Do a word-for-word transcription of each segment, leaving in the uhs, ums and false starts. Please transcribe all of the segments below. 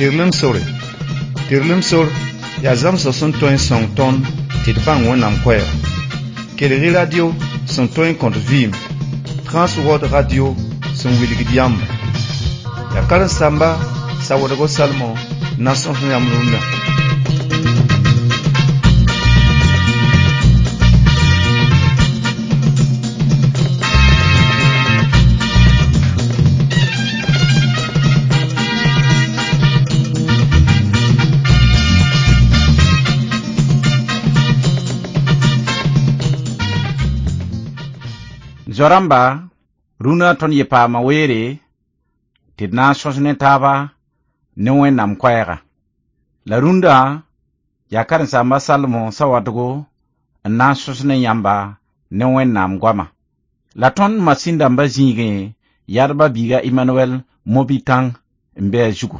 Tɩrlem sore. Tɩrlem sor yaa zãmsg sẽn tõe n sõng tõnd tɩ d bãng Wẽnnaam koɛɛga. Kelg-y radio sẽn tõe n kõt vɩɩm, Trans World Radio sẽn wilgd yãmba. Yaa karen-saamba Sawadgo Salmon n na n sõs yãmb rũndã. Zoa-rãmba rũnã tõnd ye paama weere tɩ d na n sõs ne taaba ne Wẽnnaam koɛɛga. La rũndã yaa karen-saamba Salmo Sawadgo n na n sõs ne yãmba ne Wẽnnaam goama. La tõnd masĩn-dãmbã zĩigẽ yadba biiga Emmanuel Mobitãng n be a zugu.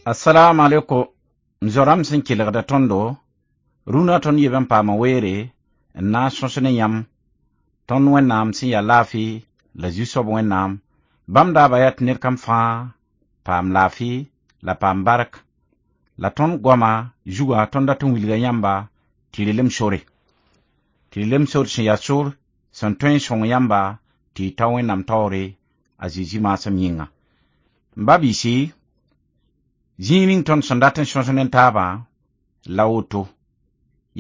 Assalamu alaikum m zoa-rãmb sẽn kelgda tõndo rũnã tõnd yeb n paama weere n na n sõs ne yãmb tõnd Wẽnnaam sẽn yaa laafɩ la Zu-soab Wẽnnaam bãmb daaba yaa tɩ ned kam fãa paam laafɩ la paam bark la tõnd goama zugã tõnd dat n wilga yãmba tɩ relem sore tɩ relem sor sẽn yaa sor sẽn tõe n sõng yãmba tɩ y ta Wẽnnaam taoore a Zezi maasem yĩnga m ba biisi zĩig ning tõnd sẽn dat n sõs ne taabã la woto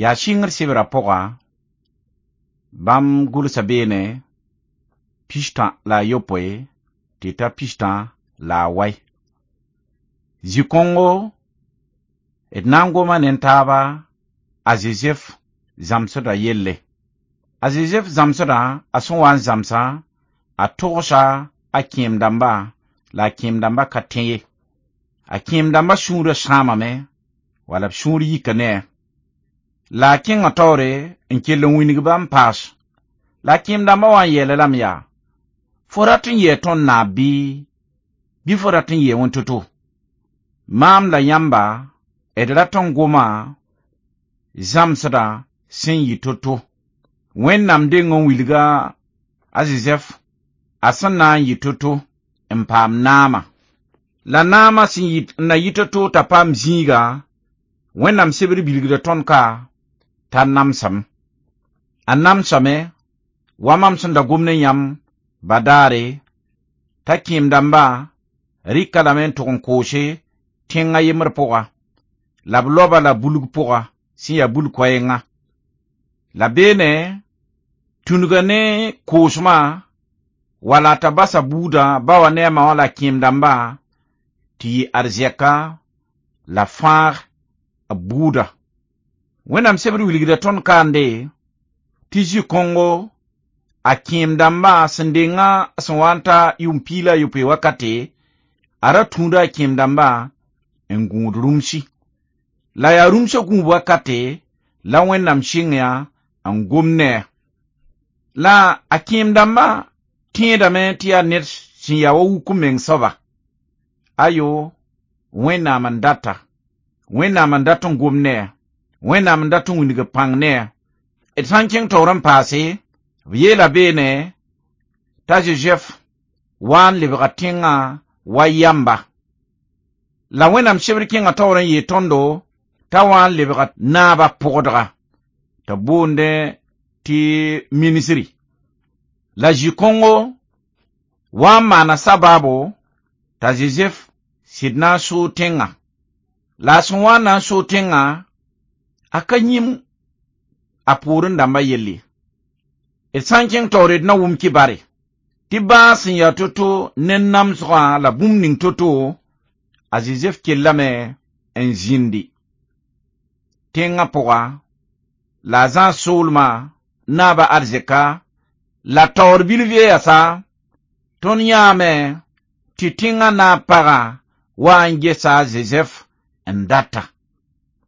yaa sɩngr sebrã pʋga bãmb gʋlsa beene pistã la a yopoe tɩ ta pistã la a wai zĩ-kõngo d na n goma ne taaba a Zozɛf zãmsdã yelle a Zozɛf zãmsdã a sẽn wa n zãmsã a togsa a kẽem-dãmba la a kẽem-dãmba ka tẽ ye a kẽem-dãmbã sũurã sãamame wala b sũur yika ne a la a kẽngã taoore n kell n wilg-ba n paas la a kẽem-dãmbã wa n yeela lame yaa fo rat n yɩa tõnd naab bɩ bɩ fo rat n yɩa wẽn-to-to maam la yãmba d rat n goma zãmsdã sẽn yɩ to-to Wẽnnaam deng n wilga a Zozɛf a sẽn na n yɩ to-to n paam naama la naama sẽn yɩ n na yɩ to-to t'a paam zĩiga Wẽnnaam sebr bilgda tõnd ka t'a namsame a namsame wa mam sẽn da gom ne yãmb badaare t'a kẽem-dãmbã rɩka lame n tʋg n koose tẽngã yembr pʋga la b loaba la bulg pʋga sẽn yaa bul koɛɛngã la beene tũnuga ne koosmã wala t'a basa buudã ba wa ne a ma wã la kẽem-dãmbã tɩ yɩ arzɛka la fãag b buuda Wẽnnaam sebr wilgda tõnd kaande tɩ zĩ-kõngo a kẽem-dãmbã sẽn dengã sẽn wa n ta yʋʋm piig la a yopoe wakate a ra tũuda a kẽem-dãmbã n gũud rũmsi la yaa rũmsã gũub wakate la Wẽnnaam sɩng yã n gom ne a la a kẽem-dãmbã tẽedame tɩ yaa ned sẽn yaa wa wuk-m-meng soaba ayo Wẽnnaam n data Wẽnnaam n dat n gom ne a Wẽnnaam n dat n wilg pãng ne a d sã n kẽng taoor n paase b yeela beene t'a Zozɛf wa n lebga tẽngã wa yamba la Wẽnnaam sebr kẽngã taoor n yeel tõndo t'a wa n lebga naabã pʋgdga t'a boondẽ tɩ minisri la zĩ-kõngo wa n maana sabaabo t'a Zozɛf sɩd na n soog tẽngã la a sẽn wa n na n soog tẽngã A ka yĩm a pʋʋrẽ dãmba yelle. D sã n kẽng taoore d na wʋm kibare tɩ bãas sẽn yaa to-to ne namsgã la bũmb ning to-to a Zozɛf kellame n zĩndi tẽngã pʋga la a zãas soolmã naaba arzɛka la taoor bilf yaasa tõnd yãame tɩ tẽngã naab pagã wa n gesa a Zozɛf n data.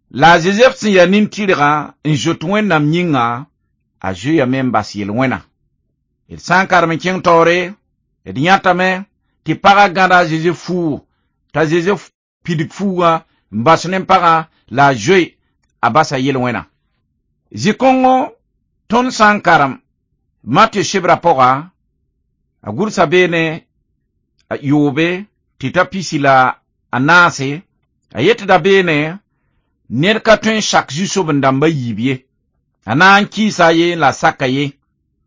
La a Zozɛf sẽn yaa nin-tɩrgã n zoet Wẽnnaam yĩnga a zoeeyame n bas yel-wẽna. D sã n karem n kẽng taoore d yãtame tɩ pagã gãda a Zozɛf fuugu t'a Zozɛf pidg fuugã n bas ne pagã la a zoe a basa yel-wẽna. Zĩ-kõngo tõnd sã n karem Matɩ sebra pʋga a gʋlsa beene a yoobe tɩ ta pisi la a naase a yetda beene ned ka tõe n sak zu-soben-dãmba yiib ye. A na n kɩɩsa ye la a saka ye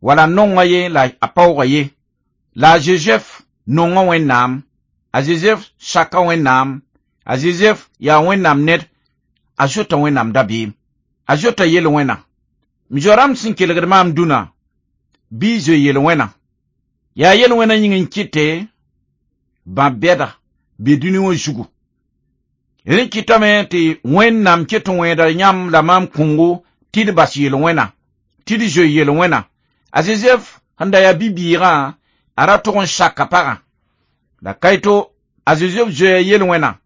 wala nonga ye la a paooga ye. La a Zozɛf nonga Wẽnnaam, a Zozɛf saka Wẽnnaam, a Zozɛf yaa Wẽnnaam ned, a zoeta Wẽnnaam dabeem, a zoeta yel-wẽna. M zoa-rãmb sẽn kelgd maam dũnã bɩ y zoe yel-wẽna. Yaa yel-wẽna yĩng n kɩte bã-bɛda be dũni wã zugu. Rẽ kɩtame tɩ Wẽnnaam ket n wẽeda yãmb la maam kõngo tɩ d bas yel-wẽna, tɩ d zoe yel-wẽna. A Zozɛf sẽn da yaa bi-bɩɩgã a ra tog n saka pagã. La kaito a Zozɛf zoeya yel-wẽna.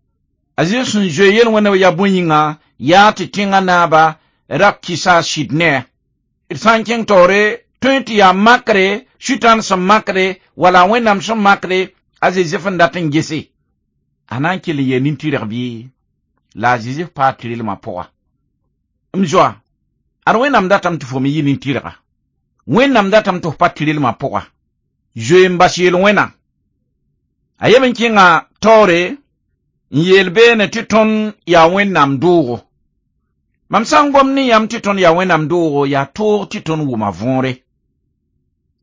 A Zozɛf sẽn zoe yel-wẽna yaa bõe yĩnga yaa tɩ tẽngã naaba ra kɩsa a sɩd ne-a. D sã n kẽng taoore tõe tɩ yaa makre Sʋtãan sẽn makre wala Wẽnnaam sẽn makre a Zozɛf n dat n gese. A na n kell n yee nin-tɩrg bɩ la a Zozɛf paa tɩrlmã pʋga. M zoa, ad Wẽnnaam datame tɩ fo me yɩ nin-tɩrga. Wẽnnaam datame tɩ f pa tɩrlmã pʋga. Zoe n bas yel-wẽna. A yem n kẽnga taoore n yeel beene tɩ tõnd yaa Wẽnnaam doogo. Mam sã n gom ne yãmb tɩ tõnd yaa Wẽnnaam doogo yaa toog tɩ tõnd wʋma võore.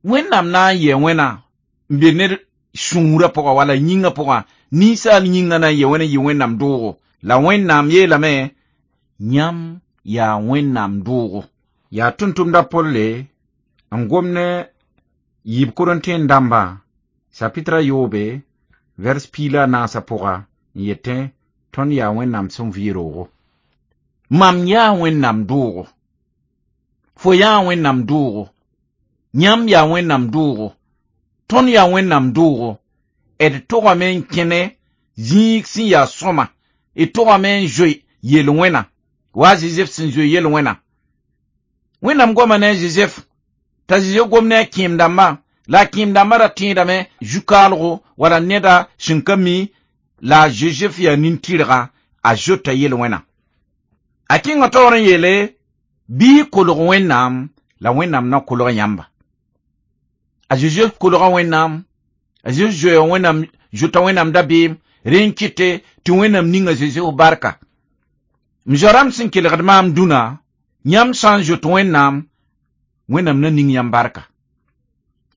Wẽnnaam na n yɩ wẽna n be ned sũurã pʋga wala yĩngã pʋgã ninsaal yĩngã na n yɩ wẽna n yɩ Wẽnnaam doogo. La Wẽnnaam yeelame yãmb yaa Wẽnnaam doogo. Yaa tʋm-tʋmda Polle n gom ne yiib Korẽntẽn dãmba sapitra yoobe vers piig la a naasã pʋga n yetẽ tõnd yaa Wẽnnaam sẽn vɩ roogo. Mam yaa Wẽnnaam doogo. Fo yaa Wẽnnaam doogo. Yãmb yaa Wẽnnaam doogo. Tõnd yaa Wẽnnaam doogo. D togame n kẽne zĩig sẽn yaa sõma. D togame n zoe yel-wẽna. Wa a Zozɛf sẽn zoe yel-wẽna. Wẽnnaam goma ne a Zozɛf t'a Zozɛf gom ne a kẽem-dãmbã la a kẽem-dãmbã ra tẽedame zu-kaalgo wala neda sẽn ka mi la a Zozɛf yaa nin-tɩrga a zoeta yel-wẽna. A kẽnga taoor n yeele bɩ y kolg Wẽnnaam la Wẽnnaam na kolg yãmba. A Zozɛf kolga Wẽnnaam, a Zozɛf zoeya Wẽnnaam zoeta Wẽnnaam dabeem rẽ n kɩte tɩ Wẽnnaam ninga Zozɛf barka. M zoa-rãmb sẽn kelgd maam dũnã yãmb sã n zoet Wẽnnaam Wẽnnaam na ning yãmb barka.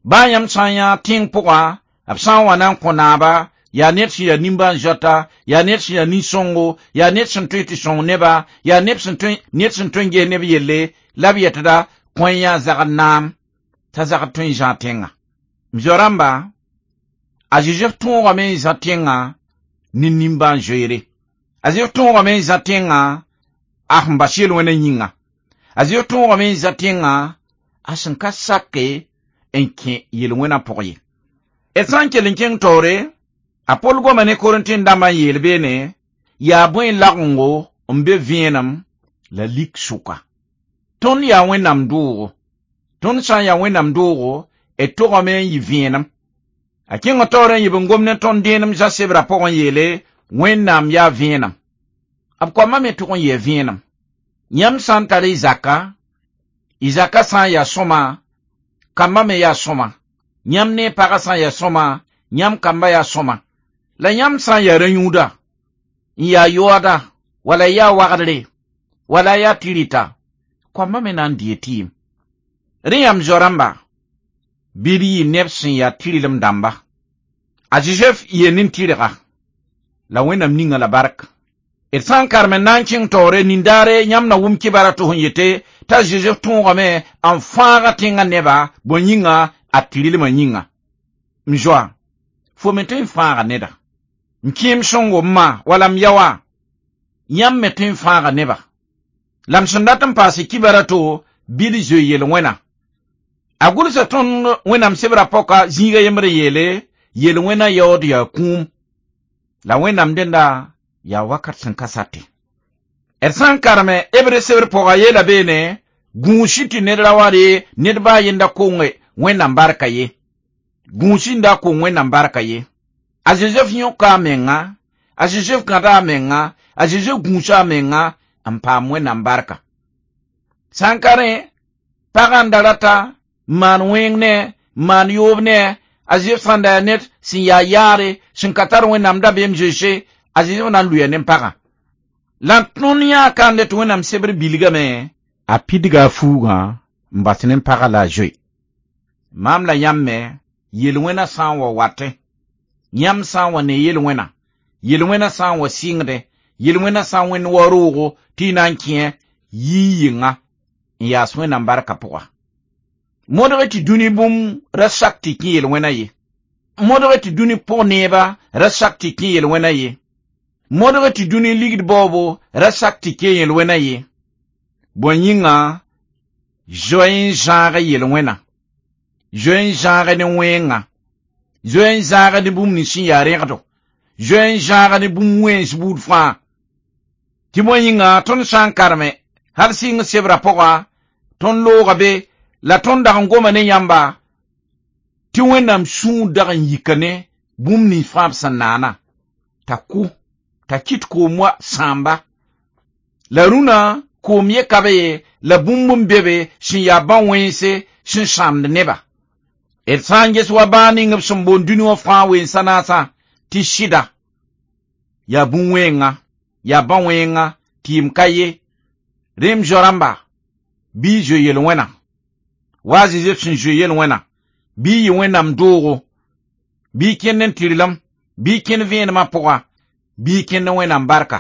Baa yãmb sã n yã tẽng pʋgã b sã n wa na n kõ naaba yaa ned sẽn yaa nimbãan-zoata yaa ned sẽn yaa nin-sõngo yaa ned sẽn tõe tɩ sõng neba yaa ned sẽn tõe ned sẽn tõe n ges neb yelle la b yetda kõ yã zagd naam t'a zagd tõe n zã tẽngã. M zoa-rãmba a Zozɛf tõogame n zã tẽngã ne nimbãan-zoeere. A Zozɛf tõogame n zã tẽngã a sẽn bas yel-wẽna yĩnga. A Zozɛf tõogame n zã tẽngã a sẽn ka sake n kẽ yel-wẽna pʋg ye. D sã n kell n kẽng taoore a Pol goma ne Korẽntẽn dãmbã n yeel beene yaa bõe lagengo n be vẽenem la lik sʋka. Tõnd yaa Wẽnnaam doogo. Tõnd sã n yaa Wẽnnaam doogo d togame n yɩ vẽenem. A kẽnga taoor n yib n gom ne tõnd dẽenem zã sebra pʋgẽ yeele Wẽnnaam yaa vẽenem. B koamã me tʋg n yɩa vẽenem. Yãmb sã n tar y zaka, y zaka sã n yaa sõma, kambã me yaa sõma. Yãmb ne pagã sã n yaa sõma, yãmb kambã yaa sõma. La yãmb sã n yaa rã-yũuda, n yaa yoada, wala yaa wagdre, wala yaa tɩrɩta, koambã me na n dee tɩɩm. Rẽ yãmb zoa-rãmba, bɩ d yɩ neb sẽn yaa tɩrlem dãmba. A Zozɛf yee nin-tɩrga, la Wẽnnaam ninga la bark. D sã n karem n na n kẽng taoore nindaare yãmb na wʋm kibara tɩ sẽn yete t'a Zozɛf tõogame n fãaga tẽngã neba bõe yĩnga a tɩrlmã yĩnga. M zoa, fo me tõe n fãaga neda. M kẽem sõngo m ma wala m ya wã, yãmb me tõe n fãaga neba. La m sẽn dat n paase kibara to bɩ d zoe yel-wẽna. A gʋlsa tõnd Wẽnnaam sebrã pɔka zĩiga yembr n yeele yel-wẽna yaood yaa kũum. La Wẽnnaam dẽnda yaa wakat sẽn ka sate. D sã n kareme Hebre sebr pʋga yeela beene gũusi tɩ ned ra wa re ned baa yenda konge Wẽnnaam barka ye. Gũusi n da kong Wẽnnaam barka ye. A Zozɛf yõka a menga, a Zozɛf gãda a menga, a Zozɛf gũusa a menga n paam Wẽnnaam barka. Sã n ka rẽ, pagã n da rata n maan wẽng ne, n maan yoob ne, a Zozɛf sãn da yaa ned sẽn yaa yaare, sẽn ka tar Wẽnnaam dabeem zoense, a Zozɛf na n lʋɩa ne pagã. La tõnd yãa kande tɩ Wẽnnaam sebr bilgame, a pidga a fuugã n bas ne pagã la a zoe. Maam la yãmb me, yel-wẽna sã n wa watẽ, yãmb sã n wa ne yel-wẽna, yel-wẽna sã n wa sɩngdẽ, yel-wẽna sã n wẽnd wa roogo tɩ y na n kẽ yii yɩnga n yaas Wẽnnaam barka pʋga. Modg tɩ dũni bũmb ra sak tɩ kẽ yel-wẽna ye. Modg tɩ dũni pʋg neeba ra sak tɩ kẽ yel-wẽna ye. Modg tɩ dũni ligd baoobo ra sak tɩ kẽ yel-wẽna ye. Bõe yĩnga zoe n zãag yel-wẽna, zoe n zãag ne wẽnga, zoe n zãag ne bũmb nins sẽn yaa rẽgdo, zoe n zãag ne bũmb wẽns buud fãa. Tɩ bõe yĩnga tõnd sã n kareme hal sɩng sebrã pʋga tõnd looga be la tõnd dag n goma ne yãmba tɩ Wẽnnaam sũur dag n yika ne bũmb nins fãa b sẽn naana t'a kʋ t'a kɩt koom wa sãamba. La rũnã koom ye ka be ye la bũmb n be be sẽn yaa bã-wẽnse sẽn sãamd neba. D sã n ges wa bãag ning b sẽn boond dũni wã fãa wensã naasã tɩ sɩda yaa bũn-wẽnga, yaa bã-wẽnga tɩɩm ka ye. Rẽm zo-rãmba bɩ y zoe yel-wẽna. Wa a Zozɛf sẽn zoe yel-wẽna, bɩ y yɩ Wẽnnaam doogo, bɩ y kẽnd n tɩrlem, bɩ y kẽnd vẽenemã pʋga, bɩ y kẽnd Wẽnnaam barka.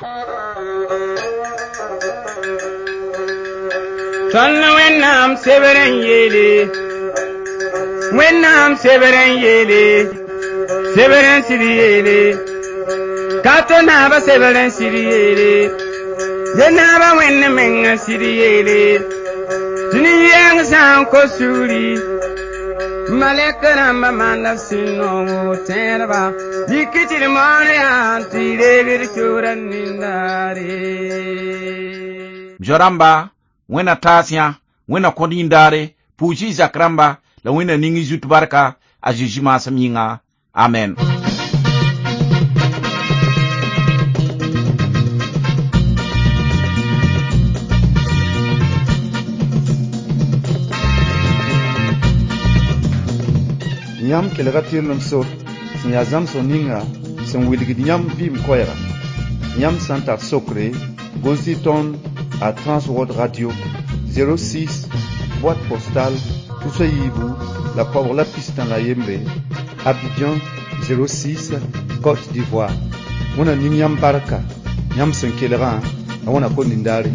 Tõnd Wẽnnaam sebr n yeele, Wẽnnaam sebr n yeele, sebr n sɩd yeele, ka to naaba sebr n sɩd yeele, ye naaba Wẽnd meng n sɩd yeele, tɩ nin-yɛng sã n kos sugri, malɛk rãmbã maanda b sẽn nongo tẽedba, yik tɩ d moon yaa tɩ y reeg d kiuudã nindaare. Zo-rãmba, Wẽnna taas yã, Wẽnna kõt yĩndaare, pʋʋs y zak rãmba la Wẽnna ning y zut barka a Zezi maasem yĩnga. Amen. Yãmb kelga tɩrlem sor sẽn yaa zãmsg ninga sẽn wilgd yãmb vɩɩm koɛɛga. Yãmb sã n tar sokre, gʋls-y tõnd a Transworld Radio zéro six, boîte postale tusa yiibu la koabg la pistã la yembre, Abidjan zéro six, Côte d'Ivoire. Wẽnna ning yãmb barka, yãmb sẽn kelgã, la Wẽnna kõt nindaare.